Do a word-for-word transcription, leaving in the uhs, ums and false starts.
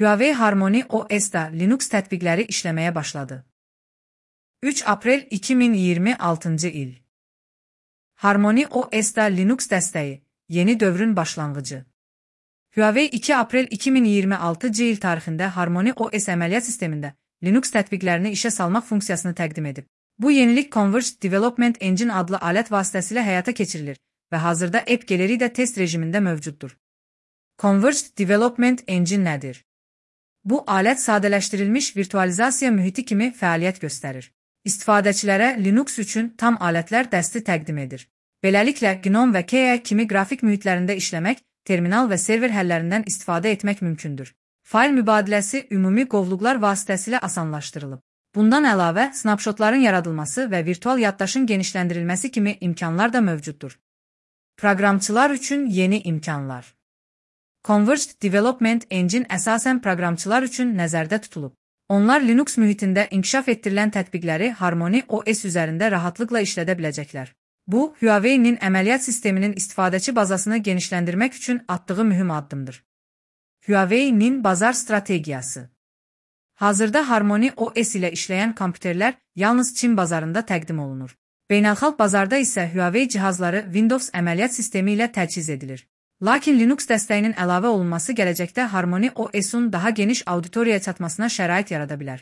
Huawei Harmony O S'da Linux tətbiqləri işləməyə başladı. üç aprel iki min iyirmi altıncı il. Harmony O S'da Linux dəstəyi, yeni dövrün başlanğıcı. Huawei iki aprel iki min iyirmi altıncı il tarixində Harmony O S əməliyyat sistemində Linux tətbiqlərini işə salmaq funksiyasını təqdim edib. Bu yenilik Converged Development Engine adlı alət vasitəsilə həyata keçirilir və hazırda App Gallery də test rejimində mövcuddur. Converged Development Engine nədir? Bu alət sadələşdirilmiş virtualizasiya mühiti kimi fəaliyyət göstərir. İstifadəçilərə Linux üçün tam alətlər dəsti təqdim edir. Beləliklə, GNOME və K I A kimi qrafik mühitlərində işləmək, terminal və server həllərindən istifadə etmək mümkündür. Fayl mübadiləsi ümumi qovluqlar vasitəsilə asanlaşdırılıb. Bundan əlavə, snapshotların yaradılması və virtual yaddaşın genişləndirilməsi kimi imkanlar da mövcuddur. Proqramçılar üçün yeni imkanlar. Converged Development Engine əsasən proqramçılar üçün nəzərdə tutulub. Onlar Linux mühitində inkişaf etdirilən tətbiqləri Harmony O S üzərində rahatlıqla işlədə biləcəklər. Bu, Huawei-nin əməliyyat sisteminin istifadəçi bazasını genişləndirmək üçün atdığı mühüm addımdır. Huawei-nin bazar strategiyası. Hazırda Harmony O S ilə işləyən kompüterlər yalnız Çin bazarında təqdim olunur. Beynəlxalq bazarda isə Huawei cihazları Windows əməliyyat sistemi ilə təchiz edilir. Lakin Linux dəstəyinin əlavə olunması gələcəkdə Harmony O S-un daha geniş auditoriyaya çatmasına şərait yarada bilər.